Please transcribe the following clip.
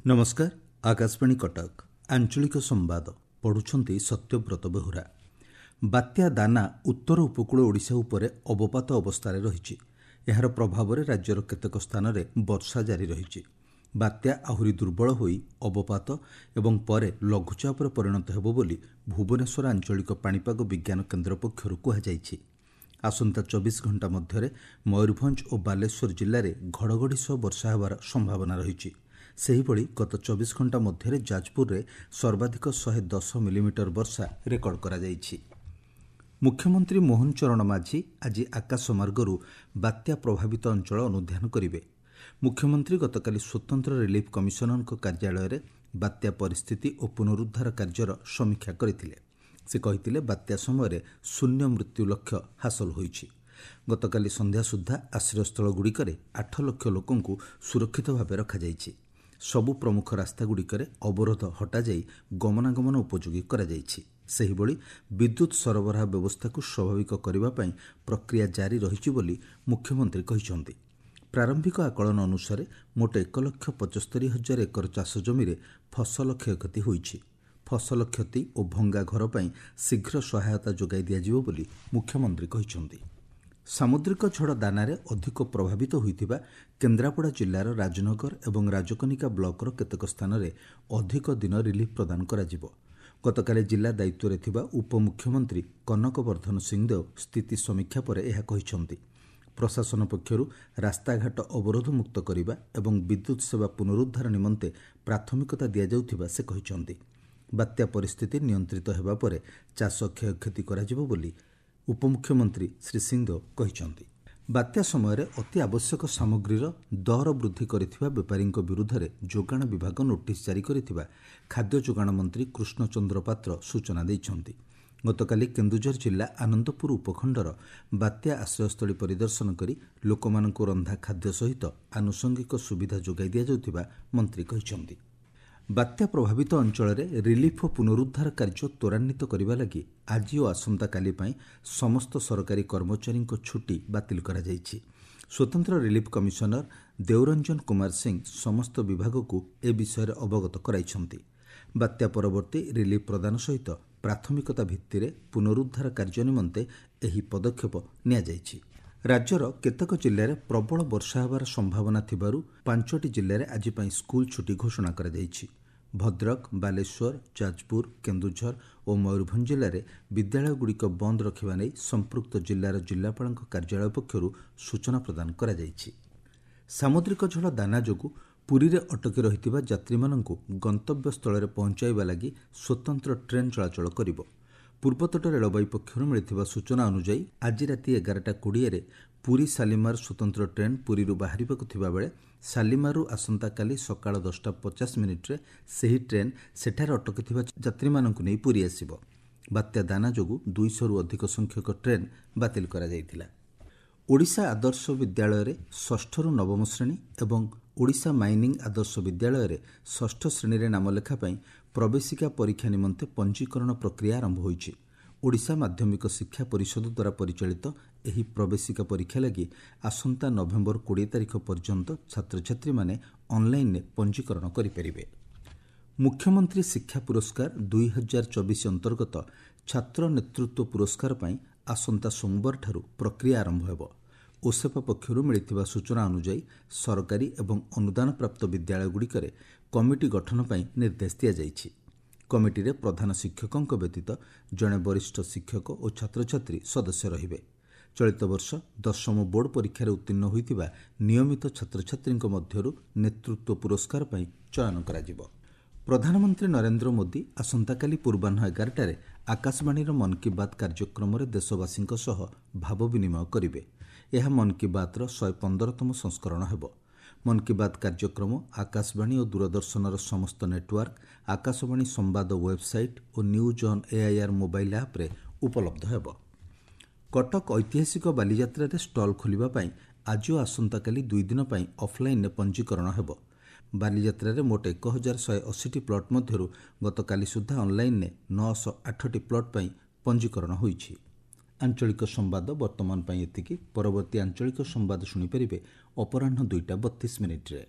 ନମସ୍କାର, ଆକାଶବାଣୀ କଟକ। ଆଞ୍ଚଳିକ ସମ୍ବାଦ ପଢ଼ୁଛନ୍ତି ସତ୍ୟବ୍ରତ ବେହୁରା। ବାତ୍ୟା ଦାନା ଉତ୍ତର ଉପକୂଳ ଓଡ଼ିଶା ଉପରେ ଅବପାତ ଅବସ୍ଥାରେ ରହିଛି। ଏହାର ପ୍ରଭାବରେ ରାଜ୍ୟର କେତେକ ସ୍ଥାନରେ ବର୍ଷା ଜାରି ରହିଛି। ବାତ୍ୟା ଆହୁରି ଦୁର୍ବଳ ହୋଇ ଅବପାତ ଏବଂ ପରେ ଲଘୁଚାପରେ ପରିଣତ ହେବ ବୋଲି ଭୁବନେଶ୍ୱର ଆଞ୍ଚଳିକ ପାଣିପାଗ ବିଜ୍ଞାନ କେନ୍ଦ୍ର ପକ୍ଷରୁ କୁହାଯାଇଛି। ଆସନ୍ତା 24 ଘଣ୍ଟା ମଧ୍ୟରେ ମୟୂରଭଞ୍ଜ ଓ ବାଲେଶ୍ୱର ଜିଲ୍ଲାରେ ଘଡ଼ଘଡ଼ି ସହ ବର୍ଷା ହେବାର ସମ୍ଭାବନା ରହିଛି। ସେହିଭଳି ଗତ 24 ଘଣ୍ଟା ମଧ୍ୟରେ ଯାଜପୁରରେ ସର୍ବାଧିକ 110 ମିଲିମିଟର ବର୍ଷା ରେକର୍ଡ କରାଯାଇଛି। ମୁଖ୍ୟମନ୍ତ୍ରୀ ମୋହନ ଚରଣ ମାଝୀ ଆଜି ଆକାଶମାର୍ଗରୁ ବାତ୍ୟା ପ୍ରଭାବିତ ଅଞ୍ଚଳ ଅନୁଧ୍ୟାନ କରିବେ। ମୁଖ୍ୟମନ୍ତ୍ରୀ ଗତକାଲି ସ୍ୱତନ୍ତ୍ର ରିଲିଫ୍ କମିଶନରଙ୍କ କାର୍ଯ୍ୟାଳୟରେ ବାତ୍ୟା ପରିସ୍ଥିତି ଓ ପୁନରୁଦ୍ଧାର କାର୍ଯ୍ୟର ସମୀକ୍ଷା କରିଥିଲେ। ସେ କହିଥିଲେ, ବାତ୍ୟା ସମୟରେ ଶୂନ୍ୟ ମୃତ୍ୟୁ ଲକ୍ଷ୍ୟ ହାସଲ ହୋଇଛି। ଗତକାଲି ସନ୍ଧ୍ୟା ସୁଦ୍ଧା ଆଶ୍ରୟସ୍ଥଳଗୁଡ଼ିକରେ 8 ଲକ୍ଷ ଲୋକଙ୍କୁ ସୁରକ୍ଷିତ ଭାବେ ରଖାଯାଇଛି। ସବୁ ପ୍ରମୁଖ ରାସ୍ତାଗୁଡ଼ିକରେ ଅବରୋଧ ହଟାଯାଇ ଗମନାଗମନ ଉପଯୋଗୀ କରାଯାଇଛି। ସେହିଭଳି ବିଦ୍ୟୁତ୍ ସରବରାହ ବ୍ୟବସ୍ଥାକୁ ସ୍ୱାଭାବିକ କରିବା ପାଇଁ ପ୍ରକ୍ରିୟା ଜାରି ରହିଛି ବୋଲି ମୁଖ୍ୟମନ୍ତ୍ରୀ କହିଛନ୍ତି। ପ୍ରାରମ୍ଭିକ ଆକଳନ ଅନୁସାରେ ମୋଟ 1,75,000 ଏକର ଚାଷ ଜମିରେ ଫସଲ କ୍ଷୟକ୍ଷତି ହୋଇଛି। ଫସଲ କ୍ଷତି ଓ ଭଙ୍ଗା ଘର ପାଇଁ ଶୀଘ୍ର ସହାୟତା ଯୋଗାଇ ଦିଆଯିବ ବୋଲି ମୁଖ୍ୟମନ୍ତ୍ରୀ କହିଛନ୍ତି। ସାମୁଦ୍ରିକ ଝଡ଼ ଦାନାରେ ଅଧିକ ପ୍ରଭାବିତ ହୋଇଥିବା କେନ୍ଦ୍ରାପଡ଼ା ଜିଲ୍ଲାର ରାଜନଗର ଏବଂ ରାଜକନିକା ବ୍ଲକର କେତେକ ସ୍ଥାନରେ ଅଧିକ ଦିନ ରିଲିଫ୍ ପ୍ରଦାନ କରାଯିବ। ଗତକାଲି ଜିଲ୍ଲା ଦାୟିତ୍ୱରେ ଥିବା ଉପମୁଖ୍ୟମନ୍ତ୍ରୀ କନକ ବର୍ଦ୍ଧନ ସିଂଦେଓ ସ୍ଥିତି ସମୀକ୍ଷା ପରେ ଏହା କହିଛନ୍ତି। ପ୍ରଶାସନ ପକ୍ଷରୁ ରାସ୍ତାଘାଟ ଅବରୋଧମୁକ୍ତ କରିବା ଏବଂ ବିଦ୍ୟୁତ୍ ସେବା ପୁନରୁଦ୍ଧାର ନିମନ୍ତେ ପ୍ରାଥମିକତା ଦିଆଯାଉଥିବା ସେ କହିଛନ୍ତି। ବାତ୍ୟା ପରିସ୍ଥିତି ନିୟନ୍ତ୍ରିତ ହେବା ପରେ ଚାଷ କ୍ଷୟକ୍ଷତି କରାଯିବ ବୋଲି ଉପମୁଖ୍ୟମନ୍ତ୍ରୀ ଶ୍ରୀ ସିଂଦେଓ କହିଛନ୍ତି। ବାତ୍ୟା ସମୟରେ ଅତି ଆବଶ୍ୟକ ସାମଗ୍ରୀର ଦର ବୃଦ୍ଧି କରିଥିବା ବେପାରୀଙ୍କ ବିରୁଦ୍ଧରେ ଯୋଗାଣ ବିଭାଗ ନୋଟିସ୍ ଜାରି କରିଥିବା ଖାଦ୍ୟ ଯୋଗାଣ ମନ୍ତ୍ରୀ କୃଷ୍ଣଚନ୍ଦ୍ର ପାତ୍ର ସୂଚନା ଦେଇଛନ୍ତି। ଗତକାଲି କେନ୍ଦୁଝର ଜିଲ୍ଲା ଆନନ୍ଦପୁର ଉପଖଣ୍ଡର ବାତ୍ୟା ଆଶ୍ରୟସ୍ଥଳୀ ପରିଦର୍ଶନ କରି ଲୋକମାନଙ୍କୁ ରନ୍ଧା ଖାଦ୍ୟ ସହିତ ଆନୁଷଙ୍ଗିକ ସୁବିଧା ଯୋଗାଇ ଦିଆଯାଉଥିବା ମନ୍ତ୍ରୀ କହିଛନ୍ତି। ବାତ୍ୟା ପ୍ରଭାବିତ ଅଞ୍ଚଳରେ ରିଲିଫ୍ ଓ ପୁନରୁଦ୍ଧାର କାର୍ଯ୍ୟ ତ୍ୱରାନ୍ୱିତ କରିବା ଲାଗି ଆଜି ଓ ଆସନ୍ତାକାଲି ପାଇଁ ସମସ୍ତ ସରକାରୀ କର୍ମଚାରୀଙ୍କ ଛୁଟି ବାତିଲ କରାଯାଇଛି। ସ୍ୱତନ୍ତ୍ର ରିଲିଫ୍ କମିଶନର ଦେଓରଞ୍ଜନ କୁମାର ସିଂ ସମସ୍ତ ବିଭାଗକୁ ଏ ବିଷୟରେ ଅବଗତ କରାଇଛନ୍ତି। ବାତ୍ୟା ପରବର୍ତ୍ତୀ ରିଲିଫ୍ ପ୍ରଦାନ ସହିତ ପ୍ରାଥମିକତା ଭିତ୍ତିରେ ପୁନରୁଦ୍ଧାର କାର୍ଯ୍ୟ ନିମନ୍ତେ ଏହି ପଦକ୍ଷେପ ନିଆଯାଇଛି। ରାଜ୍ୟର କେତେକ ଜିଲ୍ଲାରେ ପ୍ରବଳ ବର୍ଷା ହେବାର ସମ୍ଭାବନା ଥିବାରୁ 5ଟି ଜିଲ୍ଲାରେ ଆଜି ପାଇଁ ସ୍କୁଲ ଛୁଟି ଘୋଷଣା କରାଯାଇଛି। ଭଦ୍ରକ, ବାଲେଶ୍ୱର, ଯାଜପୁର, କେନ୍ଦୁଝର ଓ ମୟୂରଭଞ୍ଜ ଜିଲ୍ଲାରେ ବିଦ୍ୟାଳୟଗୁଡ଼ିକ ବନ୍ଦ ରଖିବା ନେଇ ସମ୍ପୃକ୍ତ ଜିଲ୍ଲାର ଜିଲ୍ଲାପାଳଙ୍କ କାର୍ଯ୍ୟାଳୟ ପକ୍ଷରୁ ସୂଚନା ପ୍ରଦାନ କରାଯାଇଛି। ସାମୁଦ୍ରିକ ଝଡ଼ ଦାନା ଯୋଗୁଁ ପୁରୀରେ ଅଟକି ରହିଥିବା ଯାତ୍ରୀମାନଙ୍କୁ ଗନ୍ତବ୍ୟସ୍ଥଳରେ ପହଞ୍ଚାଇବା ଲାଗି ସ୍ୱତନ୍ତ୍ର ଟ୍ରେନ୍ ଚଳାଚଳ କରିବ। ପୂର୍ବତଟ ରେଳବାଇ ପକ୍ଷରୁ ମିଳିଥିବା ସୂଚନା ଅନୁଯାୟୀ ଆଜି ରାତି 11:20ରେ ପୁରୀ ଶାଲିମାର ସ୍ୱତନ୍ତ୍ର ଟ୍ରେନ୍ ପୁରୀରୁ ବାହାରିବାକୁ ଥିବାବେଳେ ଶାଲିମାରରୁ ଆସନ୍ତାକାଲି ସକାଳ 10:50 ସେହି ଟ୍ରେନ୍ ସେଠାରେ ଅଟକିଥିବା ଯାତ୍ରୀମାନଙ୍କୁ ନେଇ ପୁରୀ ଆସିବ। ବାତ୍ୟା ଦାନା ଯୋଗୁଁ 200ରୁ ଅଧିକ ସଂଖ୍ୟକ ଟ୍ରେନ୍ ବାତିଲ କରାଯାଇଥିଲା। ଓଡ଼ିଶା ଆଦର୍ଶ ବିଦ୍ୟାଳୟରେ ଷଷ୍ଠରୁ ନବମ ଶ୍ରେଣୀ ଏବଂ ଓଡ଼ିଶା ମାଇନିଂ ଆଦର୍ଶ ବିଦ୍ୟାଳୟରେ ଷଷ୍ଠ ଶ୍ରେଣୀରେ ନାମଲେଖା ପାଇଁ ପ୍ରବେଶିକା ପରୀକ୍ଷା ନିମନ୍ତେ ପଞ୍ଜୀକରଣ ପ୍ରକ୍ରିୟା ଆରମ୍ଭ ହୋଇଛି। ଓଡ଼ିଶା ମାଧ୍ୟମିକ ଶିକ୍ଷା ପରିଷଦ ଦ୍ୱାରା ପରିଚାଳିତ ଏହି ପ୍ରବେଶିକା ପରୀକ୍ଷା ଲାଗି ଆସନ୍ତା ନଭେମ୍ବର 20 ତାରିଖ ପର୍ଯ୍ୟନ୍ତ ଛାତ୍ରଛାତ୍ରୀମାନେ ଅନ୍ଲାଇନ୍ରେ ପଞ୍ଜୀକରଣ କରିପାରିବେ। ମୁଖ୍ୟମନ୍ତ୍ରୀ ଶିକ୍ଷା ପୁରସ୍କାର 2024 ଅନ୍ତର୍ଗତ ଛାତ୍ର ନେତୃତ୍ୱ ପୁରସ୍କାର ପାଇଁ ଆସନ୍ତା ସୋମବାରଠାରୁ ପ୍ରକ୍ରିୟା ଆରମ୍ଭ ହେବ। ଓସେପା ପକ୍ଷରୁ ମିଳିଥିବା ସୂଚନା ଅନୁଯାୟୀ ସରକାରୀ ଏବଂ ଅନୁଦାନପ୍ରାପ୍ତ ବିଦ୍ୟାଳୟଗୁଡ଼ିକରେ କମିଟି ଗଠନ ପାଇଁ ନିର୍ଦ୍ଦେଶ ଦିଆଯାଇଛି। କମିଟିରେ ପ୍ରଧାନ ଶିକ୍ଷକଙ୍କ ବ୍ୟତୀତ ଜଣେ ବରିଷ୍ଠ ଶିକ୍ଷକ ଓ ଛାତ୍ରଛାତ୍ରୀ ସଦସ୍ୟ ରହିବେ। ଚଳିତ ବର୍ଷ ଦଶମ ବୋର୍ଡ ପରୀକ୍ଷାରେ ଉତ୍ତୀର୍ଣ୍ଣ ହୋଇଥିବା ନିୟମିତ ଛାତ୍ରଛାତ୍ରୀଙ୍କ ମଧ୍ୟରୁ ନେତୃତ୍ୱ ପୁରସ୍କାର ପାଇଁ ଚୟନ କରାଯିବ। ପ୍ରଧାନମନ୍ତ୍ରୀ ନରେନ୍ଦ୍ର ମୋଦି ଆସନ୍ତାକାଲି ପୂର୍ବାହ୍ନ 11ଟାରେ ଆକାଶବାଣୀର ମନ୍ କି ବାତ୍ କାର୍ଯ୍ୟକ୍ରମରେ ଦେଶବାସୀଙ୍କ ସହ ଭାବ ବିନିମୟ କରିବେ। ଏହା ମନ୍ କି ବାତ୍ର 115ତମ ସଂସ୍କରଣ ହେବ। ମନ୍ କି ବାତ୍ କାର୍ଯ୍ୟକ୍ରମ ଆକାଶବାଣୀ ଓ ଦୂରଦର୍ଶନର ସମସ୍ତ ନେଟୱାର୍କ, ଆକାଶବାଣୀ ସମ୍ବାଦ website O news on AIR mobile ଆପ୍ରେ ଉପଲବ୍ଧ ହେବ। କଟକ ଐତିହାସିକ ବାଲିଯାତ୍ରାରେ ଷ୍ଟଲ୍ ଖୋଲିବା ପାଇଁ ଆଜି ଓ ଆସନ୍ତାକାଲି 2 ଦିନ ପାଇଁ ଅଫ୍ଲାଇନ୍ରେ ପଞ୍ଜୀକରଣ ହେବ। ବାଲିଯାତ୍ରାରେ ମୋଟ 1180ଟି ପ୍ଲଟ୍ ମଧ୍ୟରୁ ଗତକାଲି ସୁଦ୍ଧା ଅନ୍ଲାଇନ୍ରେ 908ଟି ପ୍ଲଟ୍ ପାଇଁ ପଞ୍ଜୀକରଣ ହୋଇଛି। ଆଞ୍ଚଳିକ ସମ୍ବାଦ ବର୍ତ୍ତମାନ ପାଇଁ ଏତିକି। ପରବର୍ତ୍ତୀ ଆଞ୍ଚଳିକ ସମ୍ବାଦ ଶୁଣିପାରିବେ ଅପରାହ୍ନ 2ଟା 32 ମିନିଟ୍ରେ।